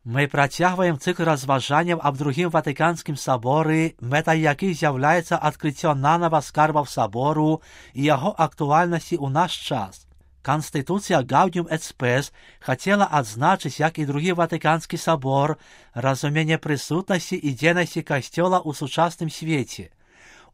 Ми працягваем цикл разважанняў аб другім Ватыканскім саборы, мэтай якіх з'яўляецца адкрыццё нанава скарбаў сабору і яго актуальнасці ў наш час. Канстытуцыя Gaudium et Spes хацела адзначыць, як і другі Ватыканскі сабор, разуменне прысутнасці і дзейнасці касцёла ў сучасным свеце.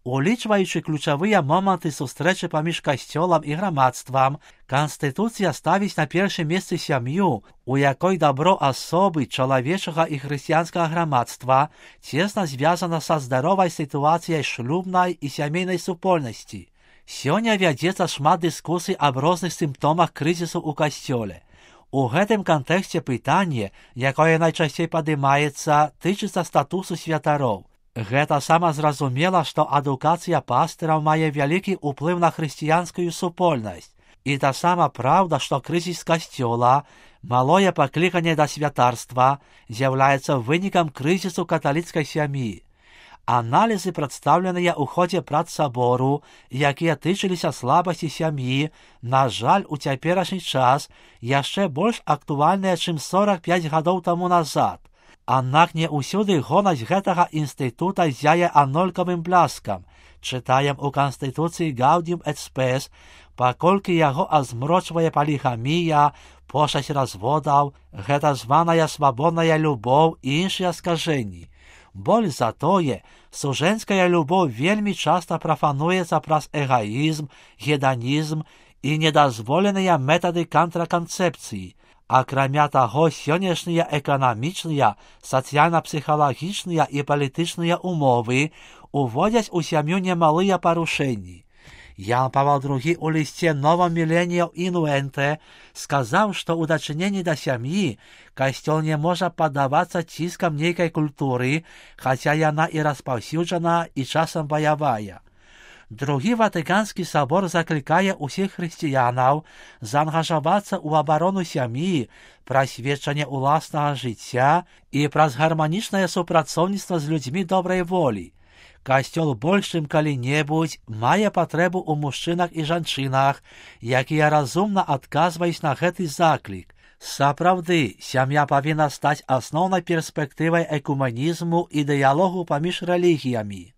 Улічваючы ключавыя моманты сустрэчы паміж касцёлам і грамадствам, Канстытуцыя ставіць на першым месцы сям'ю, у якой дабро асобы, чалавечага і хрысціянскага грамадства цесна звязана са здаровай сітуацыяй шлюбнай і сямейнай супольнасці. Сёння вядзецца шмат дыскусій аб розных сімптомах крызісу ў касцёле. У гэтым кантэксце пытанне, якое найчасцей падымаецца, тычыцца статусу святароў. Гэта самазразумела, што адукацыя пастыраў мае вялікі ўплыў на хрысціянскую супольнасць. І таксама праўда, што крызіс касцёла, малое пакліканне да святарства, з'яўляецца вынікам крызісу каталіцкай сям'і. Аналізы, прадстаўленыя ў ходзе прац сабору, якія тычыліся слабасці сям'і, на жаль, у цяперашні час яшчэ больш актуальныя, чым 45 гадоў таму назад. Аднак не ўсюды гонасць гэтага інстытута зяе анолькавым бляскам. Чытаем у Канстытуцыі Gaudium et Spes, паколькі яго азмрочвае палігамія, пошасць разводаў, гэта званая свабодная любоў і іншыя скажэнні. Больш за тое, сужэнская любоў вельмі часта прафануецца праз эгаізм, геданізм і недазволеныя метады кантраканцэпцыі. Акрамя таго, сённяшнія эканамічныя, сацыяльна-псіхалагічныя і палітычныя умовы уводзяць у сям'ю немалыя парушэнні. Ян Павел II у лісце Новам Міленіум Інуэнте сказаў, што ў дачыненні да сям'і касцёл не можа паддавацца ціскам нейкай культуры, хаця яна і распаўсюджана і часам баявая. Другі Ватыканскі сабор заклікае ўсіх хрысціянаў заангажавацца ў абарону сям'і, праз сведчанне ўласнага жыцця і праз гарманічнае супрацоўніцтва з людзьмі добрай волі. Касцёл больш чым калі-небудзь мае патрэбу ў мужчынах і жанчынах, якія разумна адказваюць на гэты заклік. Сапраўды, сям'я павінна стаць асноўнай перспектывай экуменізму і дыялогу паміж рэлігіямі.